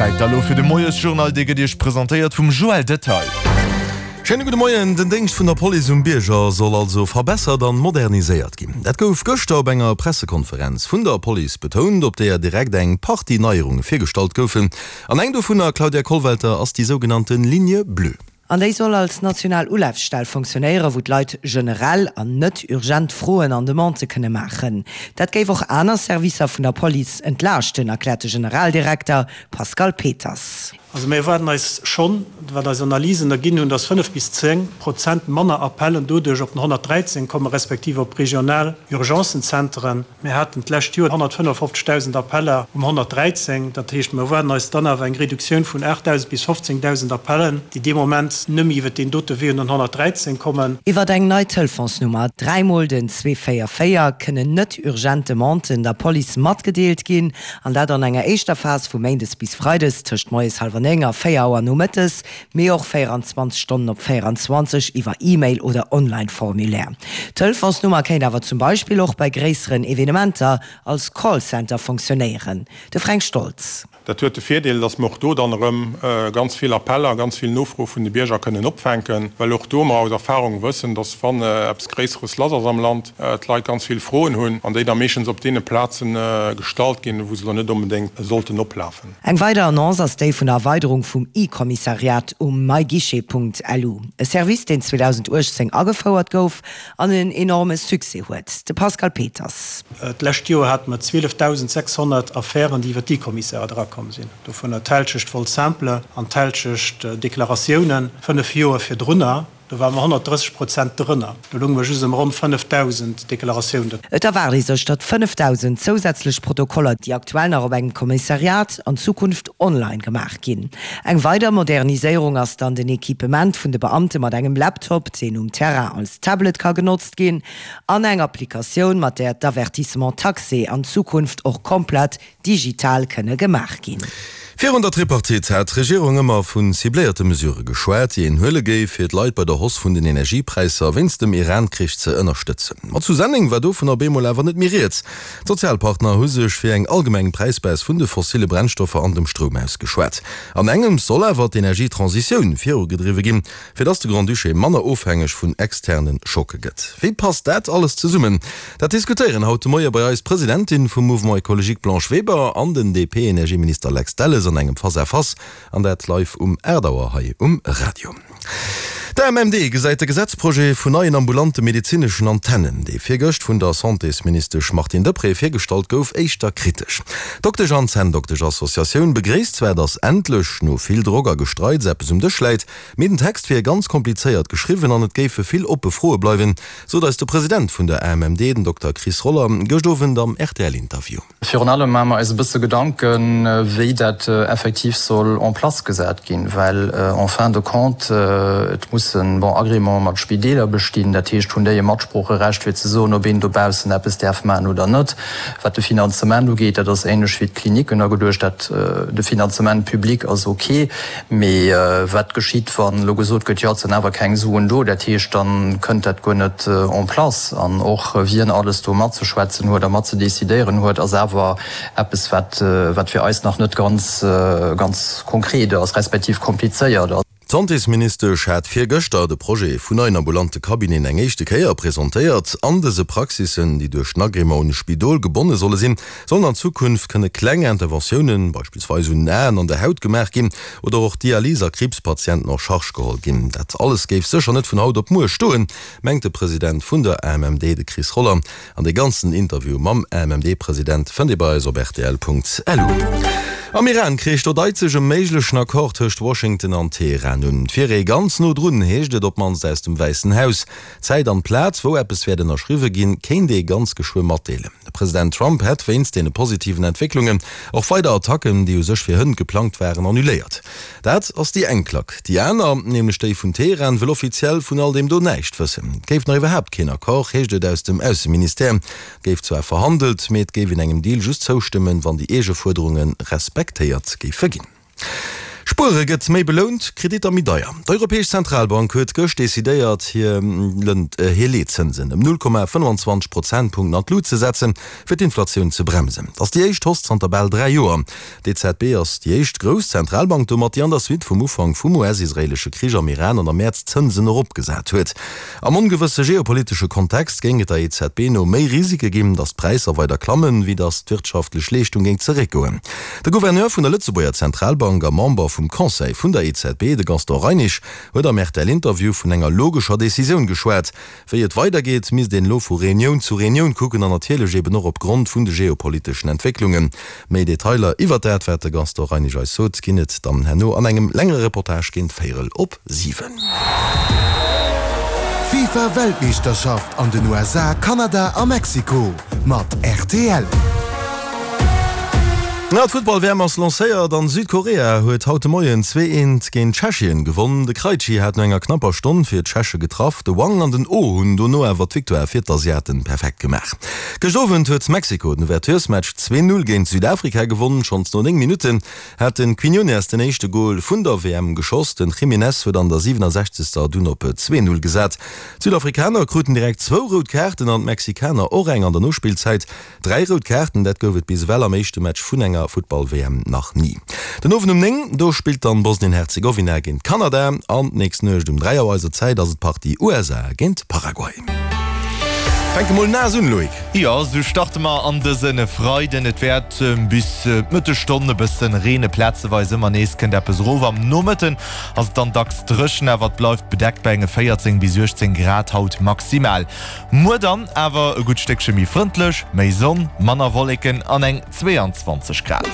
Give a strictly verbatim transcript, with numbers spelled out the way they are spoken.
Zäit da lo fir de Moiesjournal, dee gëtt Iech presentéiert vum Joël Detail. Schéine gudde Moien. Den Déngscht vun der Police um Bierger soll also verbessert an moderniséiert ginn. Dat gouf gëschter op enger Pressekonferenz vun der Police betount, op deeër direkt eng Partie Neierunge virgestallt goufen. An eng dovunner, Claudia Kollwelter, ass déi sougenannten Ligne bleue. An déi soll als national Ulafstell funktionéieren, wou d'Leit generell an net urgent Froen an Demandë kënne maachen. Dat géif och aner Servicer vun der Police entlaaschten, erkläert de Generaldirekter Pascal Peters. Also mir erwaarden eis schonn, wat eis Analysen erginn hunn, dass fënnef bis zéng Prozent manner Appellen doduerch op den honnertdräizéng kommen, respektiv op regional Urgencenzenteren. Mir haten d'lescht Joer honnertfënnefofzegdausend Appeller um honnertdräizéng. Dat heescht, mir erwaarden eis dann awer eng Reduktioun vun aachtdausend bis fofzéngdausend Appellen, déi dee Moment nëmme iwwert deen dote Wee un den honnertdräizéng kommen. Iwwert eng nei Telefonsnummer, dräi mol den zwee véier véier, kënnen net urgent Demanden der Police matgedeelt ginn, an dat an enger éischter Phas vu méindes bis freides tëscht moies hallwer néng a véier Auer nomëttes, mee och véieranzwanzeg Stonnen op véieranzwanzeg iwwer E-Mail oder Online-Formulaire. D'Telefonsnummer kéint awer zum Beispill och bei gréisseren Evenementer als Callcenter funktionéieren. De Fränk Stoltz. Dat huet de Virdeel, dass mer och do dann erëm ganz vill Appeller, ganz vill Nofroe vun de Bierger kënnen opfänken, well och do mer aus Erfahrung wëssen, dass wann eppes Gréisseres lass ass am Land, d'Leit ganz vill Froen hunn an déi da meeschtens op deene Plaze gestallt ginn, wou se elo net onbedéngt sollten oplafen. Eng weider Annonce ass déi vun der Erweiderung vum E-Kommissariat um myguichet.lu, e Service, deen zweedausenduechtzéng agefouert gouf an en enorme Succès huet. De Pascal Peters. D'lescht Joer hate mer zwielefdausendsechshonnert Affären, déi iwwer d'E-Kommissariat erakomm sinn. Dovunner d'Hälschecht Vol simple an d'Hälschecht Deklaratiounen. Fënnef Joer virdrunner, do ware mer honnertdrësseg Prozent drënner. Do lounge mer just ëm ronn fënnefdausend Deklaratiounen. Et erwaart ee sech, datt fënnefdausend zousätzlech Protokoller, déi aktuell nach op engem Kommissariat, an Zukunft online gemaach ginn. Eng weider Moderniséierung ass dann den Equipement vun de Beamte mat engem Laptop, deen um Terrain als Tablet ka genotzt ginn, an eng Applikatioun, mat där d'Avertissements taxés an Zukunft och komplett digital kënne gemaach ginn. Virun der Tripartite hat d'Regierung ëmmer vu cibléierte Mesurë geschwat, déi een huele géif, fir d'Leit bei der Hausse vun den Energiepräisser wéinst dem Iran-Krich ze ënnerstëtzen. Ma zu Senneng war dovun op eemol awer net méi rieds. D'Sozialpartner hu sech fir eng allgemeng Präisbaisse vun de fossille Brennstoffer an dem Stroum ausgeschwat. An engems soll awer d'Energietransitioun virugedriwwe ginn, fir dass de Grand-Duché manner ofhängeg vun externe Schocke gëtt. Wéi passt dat alles zesummen? Dat diskutéieren haut de Moie bei eis d'Presidentin vum Mouvement Ecologique Blanche Weber an den D P-Energieminister Lex Delles an engem Face-à-Face, an dat live um aacht Auer hei um Radio. D' A M M D gesäit de Gesetzprojet vun neien ambulante medezineschen Antennen, dee virgëscht vun der Santésministesch Martine Deprez virgestallt gouf, éischter kritesch. D'Doktesch an Zänndoktesch-Associatioun begréisst zwar, datt endlech no vill Drock a Gestreits eppes um Dësch läit, mee den Text wier ganz komplizéiert geschriwwen an et géife vill oppe Froe bleiwen, sot eis de President vun der A M M D, den Dokter Chris Roller, gëscht Owend am R T L-Interview. Virun allem maache mer eis e bësse Gedanken, wéi dat effektiv soll en place gesat ginn, well en fin de compte et mussen, bon, Agrémente mat Spideeler bestinn, dat heescht, hunn déi e Matsproocherecht fir ze soen, ob een dobaussen eppes däerf maachen oder net. Wat de Finanzement ugeet, dat ass ähnlech wéi d'Kliniken ageduecht, dat de Finanzement public ass ok, mee wat geschitt, wann elo gesot gëtt, jo et sinn awer keng Suen do, dat heescht, dann kënnt dat guer net en place. An och wien alles do matzeschwätzen huet a matzedecidéieren huet, ass awer eppes wat wat fir eis nach net ganz ganz konkret ass, respektiv komplizéiert ass. D'Santésministesch hat virgëschter de Projet vun neien ambulante Cabineten eng éischte Kéier presentéiert. An dëse Praxissen, déi duerch den Agrément un e Spidol gebonne solle sinn, sollen an Zukunft kënne kleng Interventiounen, beispillsweis un den Aen an der Haut gemaach ginn oder och Dialys a Kriibspatienten en charge geholl ginn. Dat alles géif sécher net vun haut op muer stoen, mengt de President vun der A M M D, de Chris Roller. An de ganzen Interview mam A M M D-President fënnt Dir bei eis op R T L Punkt L U. Am Iran-Krich, do deit sech e méiglechen Accord tëscht Washington an Teheran un. Et wier ee ganz no drun, heescht et op d'mannst aus dem Wäissen Haus. D'Zäit an d'Plaz, wou eppes wäert ënnerschriwwe ginn, kéint ee ganz geschwë matdeelen. De President Trump hätt wéinst deene positiven Entwécklungen och weider Attacken, déi u sech fir hënt geplangt waren, annuléiert. Dat ass déi eng Klack. Déi aner, nämlech déi vun Teheran, wëll offiziell vun all deem do näischt wëssen. Et géif nach iwwerhaapt keen Accord, heescht et aus dem Ausseministère. Et géif zwar verhandelt, mee et géif een engem Deal just zoustëmmen, wann déi eege Fuerderunge respektéiert géife ginn. Spuere gëtt méi belount, Kreditter méi deier. D'Europäesch Zentralbank huet gëscht decidéiert, hir hir Leetzënsen ëm null Komma fënnwanzwanzeg Prozentpunkten an d'Lut ze setzen, fir d'Inflatioun ze bremsen. Et ass déi éischt Hausse zanter bal dräi Joer. D'EZB ass déi éischt grouss Zentralbank domat, déi an der Suite vum Ufank vum U S-israeelesche Krich am Iran an am Mäerz d'Zënsen eropgesat huet. Am ongewësse geopolitesche Kontext géing et der E Z B no méi Risike ginn, datt d'Präisser weider klammen, wéi datt d'wirtschaftlech Leeschtung géing zeréckgoen. De Gouverneur vun der Lëtzebuerger Zentralbank a Member vum Conseil vun der E Z B, de Gaston Reinesch, huet am R T L-Interview vun enger logescher Decisioun geschwat. Wéi et weidergeet, misst een elo vu Reunioun zu Reunioun kucken an natierlech eben och opgrond vun de geopoliteschen Entwécklungen. Méi Detailer iwwer dat, wat de Gaston Reinesch eis sot, ginn et dann herno an engem längere Reportage géint véierel op siwen. FIFA Weltmeeschterschaft an den U S A, Kanada a Mexiko mat R T L. Na, d'Futtball-W M ass lancéiert an Südkorea huet haut de Moien zwee eent géint Tschechien gewonn. De Krejci hat no enger knapper Stonn fir d'Tscheche getraff. De Hwang an den Oh hunn dono awer d'Victoire fir d'Asiaten perfekt gemaach. Gëscht Owend huet Mexiko den Ouverturesmatch zwee Null géint Südafrika gewonn. Schonns no néng Minutten hat de Quiñones den éischte Gol vun der W M geschoss. Den Jiménez huet an der siwenesechzegster dunn op zwee Null gesat. D'Südafrikaner kruten direkt zwou rout Kaarten an d'Mexikaner och eng an der Nospillzäit. Dräi rout Kaarten, dat gouf et bis ewell am éischte Match vun enger Futtball-W M nach ni. Den Owend um néng, do spillt dann Bosnien-Herzegowina géint Kanada an d'nächst Nuecht um dräi Auer eiser Zäit ass et d'Partie U S A géint Paraguay. Fänke mol naass un, Loïc. Jo, sou starte mer an dëse Freiden. Et wäert bis d'Mëttesstonn e bësse reene, plazeweis ëmmer nees kënnt eppes erof. Am Nomëtten ass et dann dacks dréchen, awer et bleift bedeckt bei enge véierzéng bis uechtzéng Grad haut maximal. Muer dann awer e gutt Stéckche méi frëndlech, méi Sonn, manner Wolleken an eng zweeanzwanzeg Grad.